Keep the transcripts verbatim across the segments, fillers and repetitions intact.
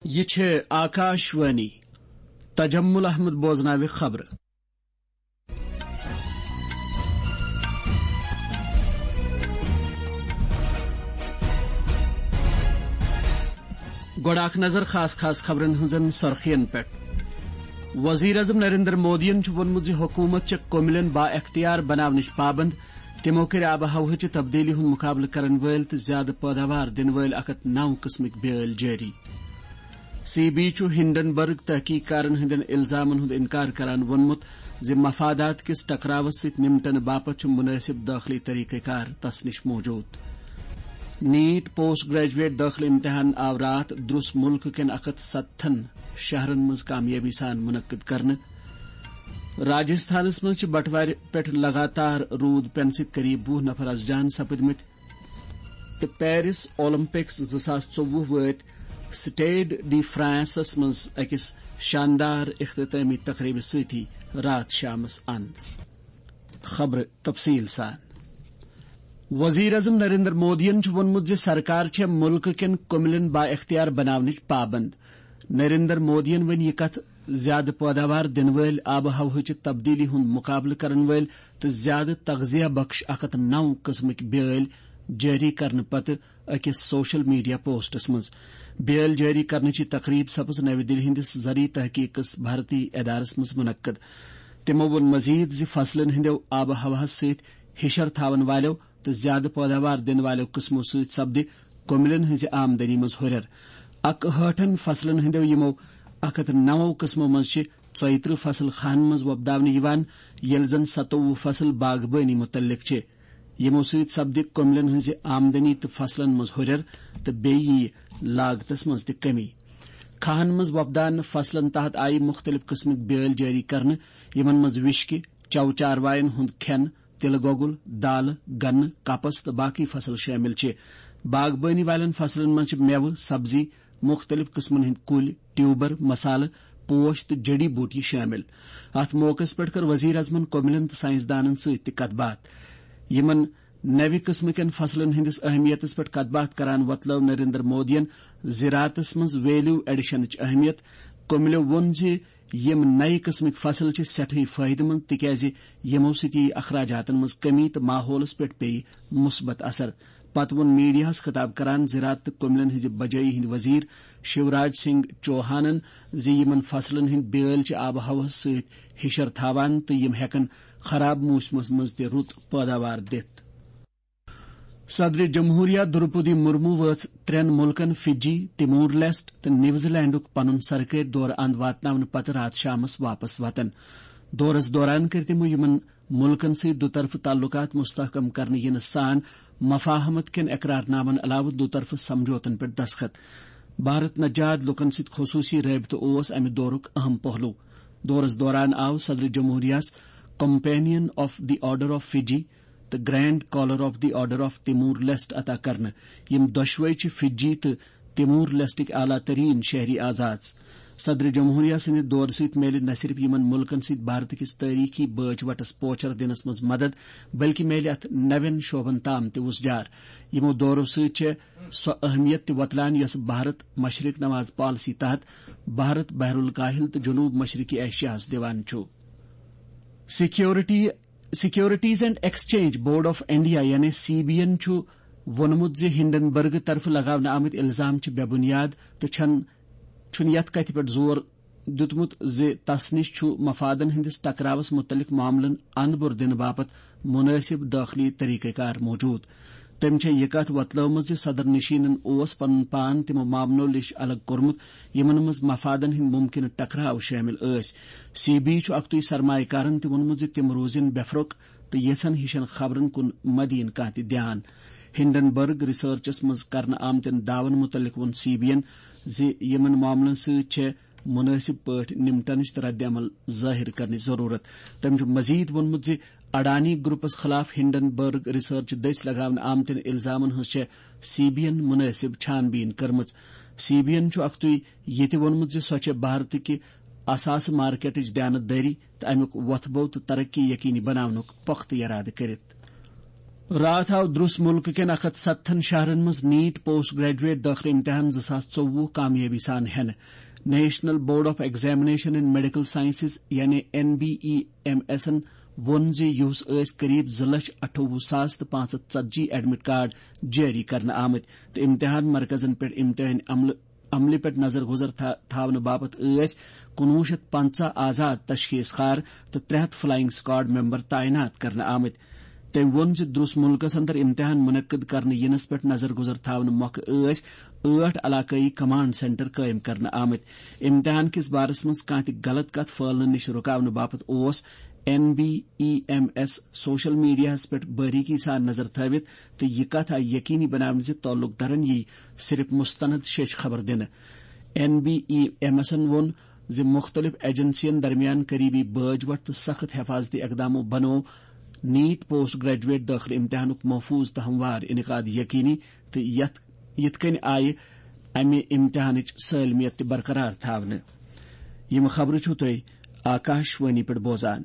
یہِ چھِ آکاش وانی۔ تجمل احمد بوزناوِ خبرٕ۔ گۄڈٕ اکھ نظر خاص خاص خبرن ہٕنٛزن سرخین پٮ۪ٹھ۔ وزیر اعظم نریندر مودیَن چھُ ووٚنمُت زِ حکوٗمت چھےٚ کُملٮ۪ن با اختیار بناونٕچ پابند۔ تِمو کٔرۍ آب و ہوہٕچہِ تبدیلی ہُنٛد مُقابلہٕ کرن وٲلۍ تہٕ زیادٕ پٲداوار دِنہٕ وٲلۍ اکھ ہتھ نو قٕسمٕکۍ بیٛٲلۍ جٲری۔ سی بی چھُ ہنڈنبرگ تحقیق کارن ہٕنٛدٮ۪ن الزامن ہُنٛد انکار کران ووٚنمُت زِ مفادات کِس ٹکراوس سۭتۍ نمٹنہٕ باپتھ چھُ مناسب دٲخلی طریقہٕ کار تس نِش موجود۔ نیٹ پوسٹ گریجویٹ دٲخلہٕ امتحان آو راتھ درس ملک کٮ۪ن اکھ ہتھ ستتھن شہرن منٛز کامیٲبی سان منعقد کرنہٕ۔ راجستھانس منٛز چھِ بٹوارِ پٮ۪ٹھ لگاتار روٗد پٮ۪نہٕ سۭتۍ قریب وُہ نفر از جان سپٕدمٕتۍ۔ تہٕ پیرس اولمپکس زٕ ساس ژوٚوُہ وٲتۍ سٹیڈ ڈی فرانسس منٛز أکِس شاندار اختتامی تقریبہِ سۭتی راتھ شامس اند۔ خبرٕ تفصیل سان۔ وزیر اعظم نریندر مودیَن چھُ ووٚنمُت زِ سرکار چھےٚ مُلکہٕ کٮ۪ن کُملٮ۪ن با اختیار بناونٕچ پابند۔ نریندر مودیَن ؤنۍ یہِ کتھ زیادٕ پٲداوار دِنہٕ وٲلۍ آب و ہوہٕچہِ تبدیلی ہُنٛد مُقابلہٕ کرن وٲلۍ تہٕ زیادٕ تغذیہ بخش اکھ ہتھ نو قٕسمٕکۍ بیٛٲلۍ جٲری کرنہٕ پتہٕ أکِس سوشل میڈیا پوسٹس منٛز۔ بیٛٲلۍ جٲری کرنٕچ یہِ تقریب سپٕز نَوِ دِلہِ ہٕنٛدِس زرعی تحقیقس بھارتی ادارس منٛز منعقد۔ تِمو ووٚن مزید زِ فصلن ہٕنٛدٮ۪و آب و ہوہس سۭتۍ ہِشر تھاون والٮ۪و تہٕ زیادٕ پٲداوار دِنہٕ والٮ۪و قٕسمو سۭتۍ سپدِ کُملٮ۪ن ہٕنٛزِ آمدنی منٛز ہُرٮ۪ر۔ اکہٲٹھن فصلن ہٕنٛدٮ۪و یِمو اکھ ہتھ نَوو قٕسمو منٛز چھِ ژۄیہِ ترٕٛہ فصل خانن منٛز وۄپداونہٕ یِوان، ییٚلہِ زن ستووُہ فصل باغبٲنی مُتعلق چھِ۔ یِمو سۭتۍ سپدِ کُملٮ۪ن ہٕنٛزِ آمدنی تہٕ فصلن منٛز ہُرٮ۪ر تہٕ بیٚیہِ یِیہِ لاگتس منٛز تہِ کمی۔ کھاہن منٛز وۄپداونہٕ فصلن تحت آیہِ مُختٔلِف قٕسمٕکۍ بیٛٲلۍ جٲری کرنہٕ، یِمن منٛز وِشکہِ، چَو چاروایَن ہُنٛد کھٮ۪ن، تِلہٕ گۄگُل، دالہٕ، گنہٕ، کپس تہٕ باقٕے فصل شٲمِل چھِ۔ باغبٲنی والٮ۪ن فصلن منٛز چھِ مٮ۪وٕ، سبزی، مُختٔلِف قٕسمن ہٕنٛدۍ کُلۍ، ٹیوبر، مسالہٕ، پوش تہٕ جڑی بوٹی شٲمِل۔ اَتھ موقعس پٮ۪ٹھ کٔر وزیر اعظمن کُملٮ۪ن تہٕ ساینس دانن سۭتۍ تہِ کتھ باتھ۔ یِمن نوِ قٕسمٕکٮ۪ن فصلن ہٕنٛدِس اہمیتس پٮ۪ٹھ کتھ باتھ کران وۄتلٲو نریندر مودیَن زراعتس منٛز ویلیو ایڈیشنٕچ اہمیت۔ کُملٮ۪و ووٚن زِ یِم نَوِ قٕسمٕکۍ فصل چھِ سٮ۪ٹھٕے فٲیدٕ مند، تِکیازِ یِمو سۭتۍ یِیہِ اخراجاتن منٛز کمی تہٕ ماحولس پٮ۪ٹھ پیٚیہِ مثبت اثر۔ پتہٕ ووٚن میڈیاہس خطاب کران زراعت تہٕ کُملٮ۪ن ہٕنٛزِ بجٲیی ہٕنٛدۍ وزیر شیوراج سنگھ چوہانن زِ یِمن فصلن ہٕنٛدۍ بیٛٲلۍ چھِ آب و ہوہس سۭتۍ ہِشر تھاوان تہٕ یِم ہٮ۪کن خراب موسمس منٛز تہِ رُت پٲداوار دِتھ۔ صدر جمہوریہ دروپدی مرمو وٲژ ترٛٮ۪ن مُلکن فجی، تمور لیسٹ تہٕ نیوزی لینڈُک پنُن سرکٲرۍ دورٕ اند واتناونہٕ پتہٕ راتھ شامس واپس وطن۔ دورس دوران کٔرۍ تِمو یِمن مُلکن سۭتۍ دُطرفہٕ تعلقات مستحکم کرنہٕ یِنہٕ سان مفاہمت کٮ۪ن اقرار نامن علاوٕ دُطرفہٕ سمجھوتن پٮ۪ٹھ دستخط۔ بھارت نجاد لُکن سۭتۍ خصوٗصی رٲبطہٕ اوس امہِ دورُک اہم پہلو۔ دورس دوران آو صدر جمہوریہس companion of the order of Fiji تہٕ grand collar of the order of Timor Leste عطا کرنہٕ۔ یِم دۄشوے چھِ فجی تہٕ تیمور لیسٹٕکۍ اعلیٰ ترین شہری اعزاز۔ صدر جمہوریہ سٕنٛدِ دورٕ سۭتۍ میلہِ نہ صرف یِمن مُلکن سۭتۍ بھارت کِس تٲریخی بٲج وٹس پوچھر دِنس منٛز مدد، بلکہِ میلہِ اتھ نوٮ۪ن شعبن تام تہِ وُژھ جار۔ یِمو دورو سۭتۍ چھےٚ سۄ اہمیت تہِ وۄتلان، یۄس بھارت مشرق نواز پالیسی تحت بھارت بحر الکاہل تہٕ جنوب مشرقی ایشیاہس دِوان چھُ۔ Security, securities and exchange board of India یعنی سی بی این چھُ ووٚنمُت زِ ہنڈنبرگ طرفہٕ لگاونہٕ آمٕتۍ الزام چھِ بے بنیاد تہٕ چھَن، چھُنہٕ یَتھ کتھِ پٮ۪ٹھ زور دیُتمُت زِ تس نِش چھُ مفادن ہٕنٛدِس ٹکراوس مُتعلق معاملن اندٕ بُر دِنہٕ باپتھ مُنٲسِب دٲخلی طریقہٕ کار موجود۔ تٔمۍ چھےٚ یہِ کتھ وۄتلٲومٕژ زِ صدر نشینن اوس پنُن پان تِمو معاملو نِش الگ کوٚرمُت، یِمن منٛز مفادن ہٕنٛدۍ ممکنہٕ ٹکراو شٲمِل ٲسۍ۔ سی بی چھُ اکتُے سرمایہ کارن تہِ ووٚنمُت زِ تِم روزن بے فرق تہٕ یژھن ہِشن خبرن کُن مدِ یِن کانٛہہ تہِ دھیان۔ ہنڈنبرگ ریسرچس منٛز کرنہٕ آمتٮ۪ن دعون مُتعلق ووٚن سی بی ین زِ یِمن معاملن سۭتۍ چھےٚ مُنٲسِب پٲٹھۍ نمٹنٕچ تہٕ رد عمل ظٲہِر کرنٕچ ضروٗرت۔ تٔمۍ چھُ مزید ووٚنمُت زِ اڈانی گروپس خلاف ہنڈنبرگ ریسرچ دٔسۍ لگاونہٕ آمتٮ۪ن الزامن ہٕنٛز چھےٚ سی بی ین مُنٲسِب چھان بیٖن کٔرمٕژ۔ سی بی ین چھُ اکتُے یہِ تہِ ووٚنمُت زِ سۄ چھےٚ بھارتٕکہِ اثاثہٕ مارکیٹٕچ دیانت دٲری تہٕ امیُک وۄتھٕ بو تہٕ ترقی یقینی بناونُک پۄختہٕ یرادٕ کٔرِتھ۔ راتھ آو دروس ملکہٕ کٮ۪ن اکھ ہتھ ستتھن شہرن منٛز نیٹ پوسٹ گریجویٹ دٲخلہٕ امتحان زٕ ساس ژوٚوُہ کامیٲبی سان ہٮ۪نہٕ۔ National board of examination and medical sciences, یعنی این بی ای ایم ایسن ووٚن زِ یُہُس ٲسۍ قریب زٕ لچھ اَٹھووُہ ساس تہٕ پانٛژھ ہتھ ژتجی ایڈمٹ کارڈ جٲری کرنہٕ آمٕتۍ تہٕ امتحان مرکزن پٮ۪ٹھ امتحان عملہٕ عملہِ پٮ۪ٹھ نظر گزر تھا-، تھاونہٕ باپتھ ٲسۍ کُنوُہ شیٚتھ پنژاہ آزاد تشخیص کار تہٕ ترٛےٚ ہتھ فلائنگ اسکواڈ ممبر تعینات کرنہٕ آمٕتۍ۔ تٔمۍ ووٚن زِ درس ملکس اندر امتحان منعقد کرنہٕ ینس پٮ۪ٹھ نظر گزر تھاونہٕ مۄکھٕ ٲسۍ ٲٹھ علاقٲیی کمانڈ سینٹر قٲیِم کرنہٕ آمٕتۍ۔ امتحان کِس بارس منٛز کانٛہہ تہِ غلط کتھ پھٲلنہٕ نِش رُکاونہٕ باپتھ اوس N B E M S social میڈیاہس پٮ۪ٹھ باریکی سان نظر تھٲوِتھ تہٕ یہِ کتھ آیہِ یقینی بناونہٕ زِ تعلق دارن یی صرف مستند شیچھ خبر دِنہٕ۔ این بی ای ایم ایسن ووٚن زِ مُختٔلِف ایجنسین درمیان قریبی بٲج وٹھ تہٕ سخت حفاظتی اقدامو بنوو نیٹ پوسٹ گریجویٹ دٲخلہٕ امتحانُک محفوظ تہٕ ہموار انعقاد یقینی، تہٕ یتھ، یِتھ کٔنۍ آیہِ امہِ امتحانٕچ سٲلمیت تہِ برقرار تھاونہٕ۔ یِم خبرٕ چھِو تُہۍ آکاش وانی پٮ۪ٹھ بوزان۔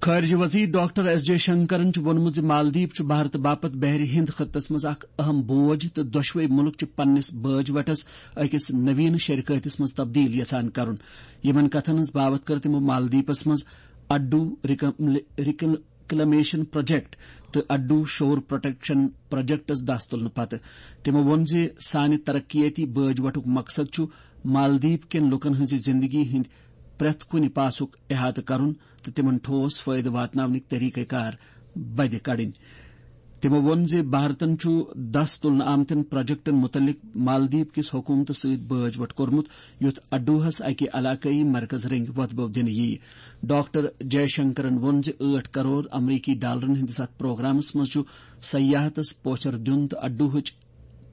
خارجہ وزیر ڈاکٹر ایس جے شنکرن چھُ ووٚنمُت زِ مالدیپ چھُ بھارت باپتھ بحر ہند خطس منٛز اکھ اہم بوج تہٕ دۄشوے مُلک چھِ پننِس بٲج وٹس أکِس نوین شراکتس منٛز تبدیل یژھان کرُن۔ یِمن کتھن ہٕنٛز باوتھ کٔر تِمو مالدیپس منٛز اڈو ریکم-، ریکل-، ریکلمیشن پروجیکٹ تہٕ اڈو شور پروٹیکشن پروجیکٹس دس تُلنہٕ پتہٕ۔ تِمو ووٚن زِ سانہِ ترقیٲتی بٲج وٹُک مقصد چھُ مالدیپ کٮ۪ن لوٗکن ہٕنٛزِ زِنٛدگی ہٕنٛدِ پرٛٮ۪تھ کُنہِ پاسُک احاطہٕ کرُن تہٕ تِمن ٹھوس فٲیدٕ واتناونٕکۍ طریقہٕ کار بدِ کڑٕنۍ۔ تِمو ووٚن زِ بھارتن چھُ دس تُلنہٕ آمتٮ۪ن پروجیکٹن مُتعلق مالدیپ کِس حکوٗمتس سۭتۍ بٲج وٹھ کوٚرمُت، یُتھ اڈوہس اکہِ علاقٲیی مرکز رٔنگۍ وۄتھٕ بو دِنہٕ یِیہِ۔ ڈاکٹر جے شنکرن ووٚن زِ ٲٹھ کرور امریکی ڈالرن ہٕنٛدِس اتھ پروگرامس منٛز چھُ سیاحتس پوچھر دیُن تہٕ اڈوہٕچ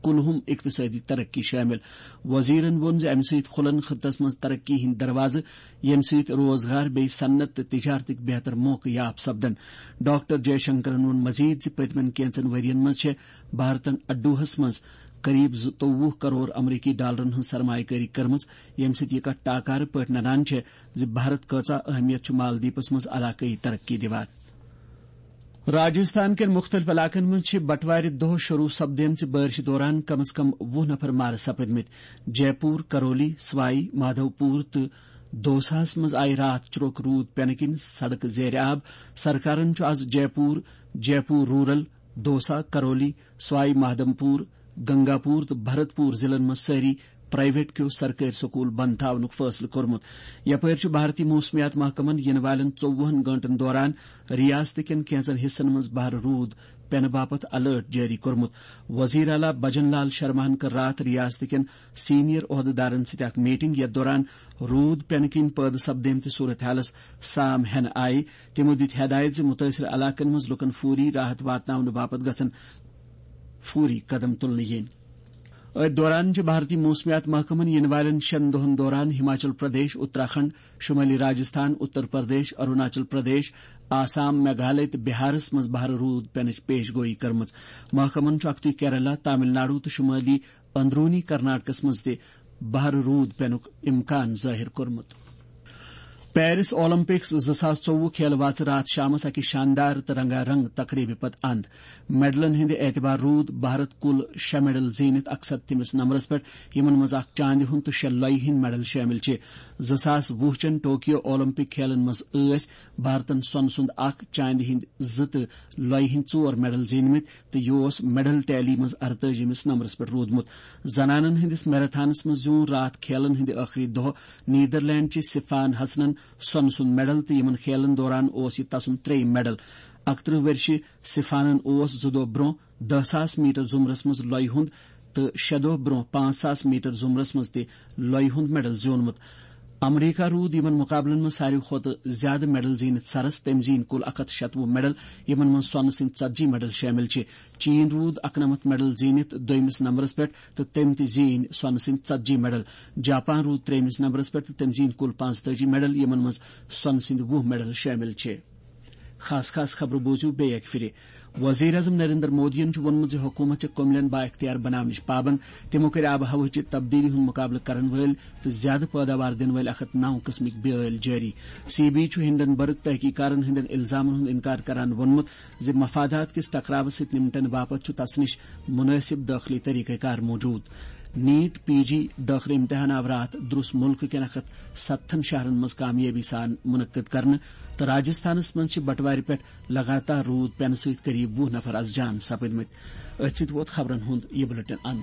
کُلہُم اقتصٲدی ترقی شٲمِل۔ وزیرن ووٚن زِ امہِ سۭتۍ کھُلن خطس منٛز ترقی ہٕنٛدۍ دروازٕ، ییٚمہِ سۭتۍ روزگار بیٚیہِ صنعت تہٕ تجارتٕکۍ بہتر موقعہٕ یاب سپدن۔ ڈاکٹر جے شنکرن ووٚن مزید زِ پٔتمٮ۪ن کینژن ؤرین منٛز چھےٚ بھارتن اڈوہس منٛز قریب زٕتووُہ کرور امریکی ڈالرن ہٕنٛز سرمایہ کٲری کٔرمٕژ، ییٚمہِ سۭتۍ یہِ کتھ ٹاکارٕ پٲٹھۍ ننان چھےٚ زِ بھارت کۭژاہ اہمیت چھُ مالدیپس منٛز علاقٲیی ترقی دِوان۔ راجستھان کٮ۪ن مُختٔلِف علاقن منٛز چھِ بٹوارِ دۄہ شروٗع سپدیمژِ بٲرشہِ دوران کم از کم وُہ نفر مارٕ سپٕدمٕتۍ۔ جے پوٗر، کرولی، سوائی مادھو پوٗر تہٕ دوساہَس منٛز آیہِ راتھ چروک روٗد پٮ۪نہٕ کِنۍ سڑکہٕ زیرِ آب۔ سرکارن چھُ از جے پوٗر، جے پوٗر رورل، دوسا، کرولی، سوائی مادھو پوٗر، گنگا پوٗر تہٕ بھرت پوٗر ضلعن منٛز سٲری پرائیویٹ کیو سرکٲرۍ سکوٗل بند تھاونُک فٲصلہٕ کوٚرمُت۔ یپٲرۍ چھُ بھارتی موسمیات محکمَن یِنہٕ والٮ۪ن ژوٚوُہن گٲنٛٹَن دوران ریاست کٮ۪ن کینٛژن حصن منٛز بھر روٗد پٮ۪نہٕ باپتھ الرٹ جٲری کوٚرمُت۔ وزیر اعلیٰ بھجن لال شرماہن کٔر راتھ ریاست کٮ۪ن سینئر عہدٕدارن سۭتۍ اکھ میٹنگ، یتھ دوران روٗد پٮ۪نہٕ کِنۍ پٲدٕ سپدیمتِس صورتحالس سام ہٮ۪نہٕ آیہِ۔ تِمو دِتۍ ہدایت زِ مُتٲثرٕ علاقن منٛز لُکن فوری راحت واتناونہٕ باپتھ گژھن فوری قدم تُلنہٕ یِنۍ۔ أتھۍ دوران چھِ بھارتی موسمیات محکمَن یِنہٕ والٮ۪ن شٮ۪ن دۄہَن دوران ہماچل پردیش، اتراکھنڈ، شمٲلی راجستھان، اتر پردیش، اروناچل پردیش، آسام، میگھالیہ تہٕ بہارس منٛز بھر روٗد پینٕچ پیش گویی کٔرمٕژ۔ محکمَن چھُ اکھتُے کیرلا، تامل ناڈو تہٕ شمٲلی اندرونی کرناٹکس منٛز تہِ بھر روٗد پینُک امکان ظٲہِر کوٚرمُت۔ پیرس اولمپکس زٕ ساس ژوٚوُہ کھیلہٕ واژٕ راتھ شامس اکہِ شاندار تہٕ رنگا رنگ تقریبہِ پتہٕ اند۔ میڈلن ہٕنٛدِ اعتبار روٗد بھارت کُل شےٚ میڈل زیٖنِتھ اکھ ستتھمِس نمبرس پٮ۪ٹھ، یِمن منٛز اکھ چاندِ ہُنٛد تہٕ شےٚ لۄیہِ ہٕنٛدۍ میڈل شٲمِل چھِ۔ زٕ ساس وُہ چٮ۪ن ٹوکیو اولمپک کھیلن منٛز ٲسۍ بھارتن سۄنہٕ سُنٛد اکھ، چاندِ ہٕنٛدۍ زٕ تہٕ لۄیہِ ہٕنٛدۍ ژور میڈل زیٖنمٕتۍ تہٕ یہِ اوس میڈل ٹیلی منٛز ارتٲجِمِس نمبرس پٮ۪ٹھ روٗدمُت۔ زنانن ہٕنٛدِس میراتھانس منٛز زیوٗن راتھ کھیلن ہٕنٛدِ ٲخری دۄہ نیدرلینڈ چہِ سفان حسنن سۄنہٕ سُنٛد میڈل تہٕ یِمن کھیلن دوران اوس یہِ تسُنٛد ترٛیٚیِم میڈل۔ اکترٕہ ؤرشہِ سفانن اوس زٕ دۄہ برٛونٛہہ دَہ ساس میٹر زُمرس منٛز لۄیہِ ہُنٛد تہٕ شےٚ دۄہ برٛونٛہہ پانٛژھ ساس میٹر زُمرس منٛز تہِ لۄیہِ ہُنٛد میڈل زیوٗنمُت۔ امریکہ روٗد یِمن مُقابلن منٛز ساروی کھۄتہٕ زیادٕ میڈل زیٖنِتھ سرس، تٔمۍ زیٖنۍ کُل اکھ ہتھ شتوُہ میڈل، یِمن منٛز سۄنہٕ سٕنٛدۍ ژتجی میڈل شٲمِل چھِ۔ چین روٗد اکنمتھ میڈل زیٖنِتھ دوٚیمِس نمبرس پٮ۪ٹھ تہٕ تٔمۍ تہِ زیٖنۍ سۄنہٕ سٕنٛدۍ ژتجی میڈل۔ جاپان روٗد ترٛیٚیمِس نمبرس پٮ۪ٹھ تہٕ تٔمۍ زیٖنۍ کُل پانٛژتٲجی میڈل، یِمن منٛز سۄنہٕ سٕنٛدۍ وُہ میڈل شٲمِل چھِ۔ خاص خاص خبرٕ بوٗزِو بیٚیہِ اَکہِ پھِرِ۔ وزیر اعظم نریندر مودیَن چھُ ووٚنمُت زِ حکوٗمت چھِ کٔملٮ۪ن با اختیار بناونٕچ پابند۔ تِمو کٔرۍ آب و ہوہٕچہِ تبدیلی ہُنٛد مُقابلہٕ کرن وٲلۍ تہٕ زیادٕ پٲداوار دِنہٕ وٲلۍ اکھ ہتھ نو قٕسمٕکۍ بیٲلۍ جٲری۔ سی بی چھُ ہنڈنبرگ تحقیقکارن ہٕنٛدٮ۪ن الزامن ہُنٛد انکار کران ووٚنمُت زِ مفادات کِس ٹکراوس سۭتۍ نمٹنہٕ باپتھ چھُ تس نِش مُنٲسِب دٲخلی طریقہ کار موجود۔ نیٹ پی جی دٲخلی امتحان آو راتھ درُس مُلکہٕ کٮ۪ن اکھ ہتھ ستتھن شہرن منٛز کامیٲبی سان منعقد کرنہٕ تہٕ راجستھانس منٛز چھِ بٹوارِ پٮ۪ٹھ لگاتار روٗد پینہٕ سۭتۍ قریب وُہ نفر از جان سپٕدمٕتۍ۔ أتھۍ سۭتۍ ووت خبرن ہُنٛد یہِ بلیٹن اند۔